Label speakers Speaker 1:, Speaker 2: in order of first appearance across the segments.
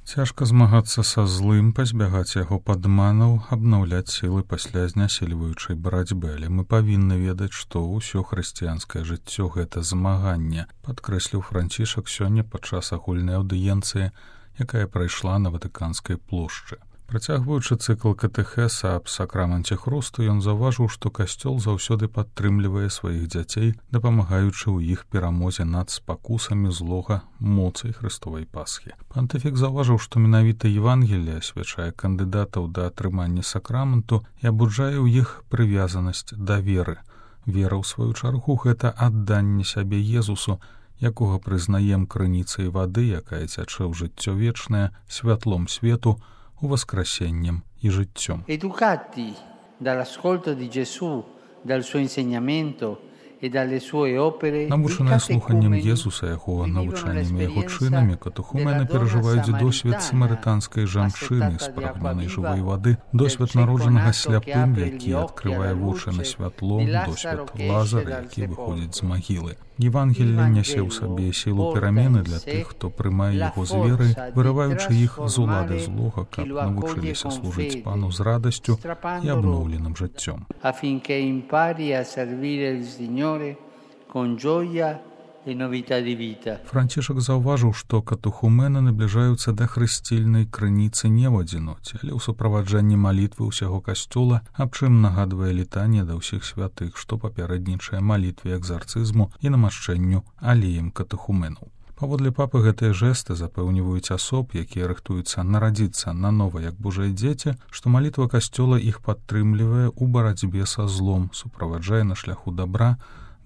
Speaker 1: Цяжка змагацца са злым, пазбягаць яго падманаў, абнаўляць сілы пасля знясільваючай барацьбы, але мы павінны ведаць, што ўсё хрысціянскае жыццё гэта змаганне, падкрэсліў Францішак сёння падчас агульнай аўдыенцыі, якая прайшла на Ватыканскай плошчы. Працягваючы цыкл катэхеса аб сакраменце хрусту, ён заўважыў, што касцёл заўсёды падтрымлівае сваіх дзяцей, дапамагаючы ў іх перамозе над спакусамі злога моцай Хрыстовай Пасхі. Пантыфік заўважыў, што менавіта Евангелие асвячае кандыдатаў да атрымання сакраменту і абуджае ў іх прывязанасць да веры. Вера, ў сваю чаргу, гэта адданне сябе Езусу, якога прызнаем крыніцай вады, якая цячэ ў жыццё вечнае, святлом свету, воскресеннем и життем.
Speaker 2: Educati dall'ascolto di Gesù, dal suo insegnamento e dalle sue opere,
Speaker 1: навучаныя слуханнем Езуса, яго навучаннямі яго чынамі, катехумены перажываюць досвед самарытанскай жанчыны, спрагнёнай жывой вады, досвед народжанага сляпым, які адкрывае вочы на святло, досвед Лазара, які выходзіць з магілы. Евангелие нясе ў сабе сілу перамены для тых, хто прымае яго з веры, вырываючы іх з улады злога, каб навучыліся служыць Пану з радасцю і абноўленым жыццём.
Speaker 2: Affinché impari a servire il Signore con gioia e novità di vita.
Speaker 1: Францішак заўважыў, што катехумены набліжаюцца да хрысцільнай крыніцы не ў адзіноце, але ў суправаджанні малітвы ўсяго касцёла, аб чым нагадвае літанне да ўсіх святых, што папярэднічае малітве экзарцызму і намашчэнню алеем катехуменаў. Паводле папы гэтыя жэсты запэўніваюць асоб, якія рыхтуюцца нарадзіцца нанова як божыя дзеці, што малітва касцёла іх падтрымлівае ў барацьбе са злом, суправаджае на шляху дабра,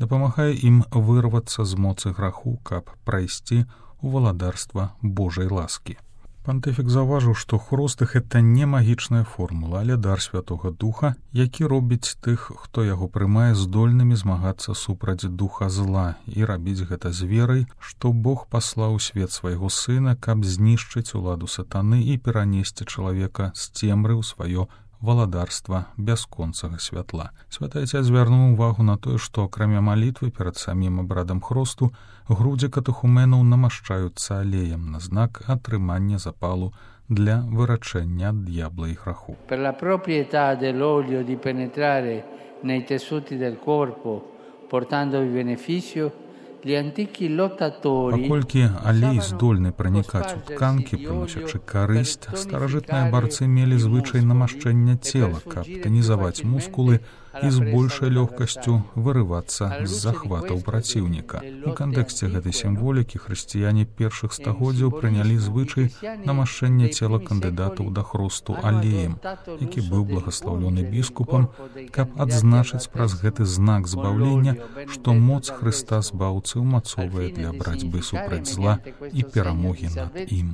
Speaker 1: дапамагае ім вырвацца з моцы граху, каб прайсці ў валадарства Божай ласкі. Пантыфік заўважыў, што хруст — гэта не магічная формула, але дар Святога Духа, які робіць тых, хто яго прымае, здольнымі змагацца супраць духа зла і рабіць гэта з верай, што Бог паслаў у свет свайго сына, каб знішчыць уладу сатаны і перанесці чалавека з цемры ў сваё валадарства бясконцага святла. Святы Ацец звярнуў увагу на тое, што акрамя малітвы перад самім абрадам хрусту грудзі катехуменаў намашчаюцца алеем на знак атрымання запалу для вырачэння ад д'ябла і граху.
Speaker 2: Per la proprietà dell'olio di penetrare nei tessuti del corpo, portandovi beneficio,
Speaker 1: паколькі алей здольны пранікаць у тканкі, прыносячы карысць, старажытныя барцы мелі звычай намашчэння цела, каб танізаваць мускулы і з большай лёгкасцю вырывацца з захватаў праціўніка. У кантэксце гэтай сімволікі хрысціяне першых стагоддзяў прынялі звычай намашчэння цела кандыдатаў да хрусту алеем, які быў благаслаўлёны біскупам, каб адзначыць праз гэты знак збаўлення, што моц Хрыста збаўцы умацовае для барацьбы супраць зла і перамогі над ім.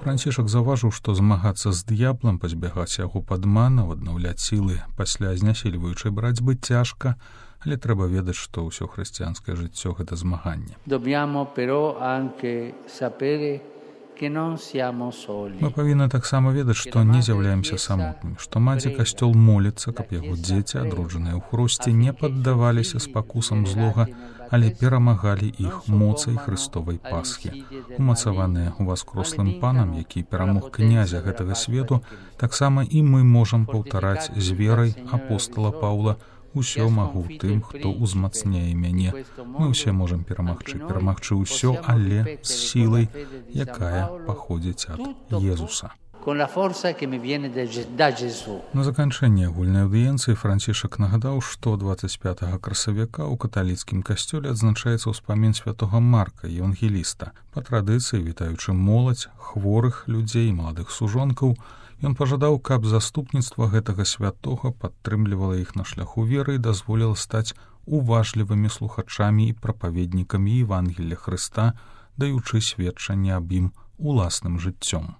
Speaker 1: Францішак заўважыў, што змагацца з д'яблам, пазбягаць яго падманаў, аднаўляць сілы пасля знясільваючай барацьбы цяжка, але трэба ведаць, што ўсё хрысціянскае жыццё — гэта змаганне. Мы павінны таксама ведаць, што не з'яўляемся самотнымі, што маці касцёл моліцца, каб яго дзеці, адроджаныя ў хрусце, не паддаваліся спакусам злога, але перамагалі іх моцай Хрыстовай Пасхі. Умацаваныя уваскрослым Панам, які перамог князя гэтага свету, таксама і мы можам паўтараць з верай апостала Паўла: «Усё магу тым, хто ўзмацняе мяне». Мы ўсе можам перамагчы ўсё, але з сілай, якая паходзіць ад Езуса. На заканчэнне агульнай аўдыенцыі Францішак нагадаў, што 25 красавіка ў каталіцкім касцёле адзначаецца ўспамін святога Марка, евангеліста. Па традыцыі, вітаючы моладзь, хворых людзей, маладых сужонкаў, ён пажадаў, каб заступніцтва гэтага святога падтрымлівала іх на шляху веры і дазволіла стаць уважлівымі слухачамі і прапаведнікамі Евангелія Хрыста, даючы сведчанне аб ім уласным жыццём.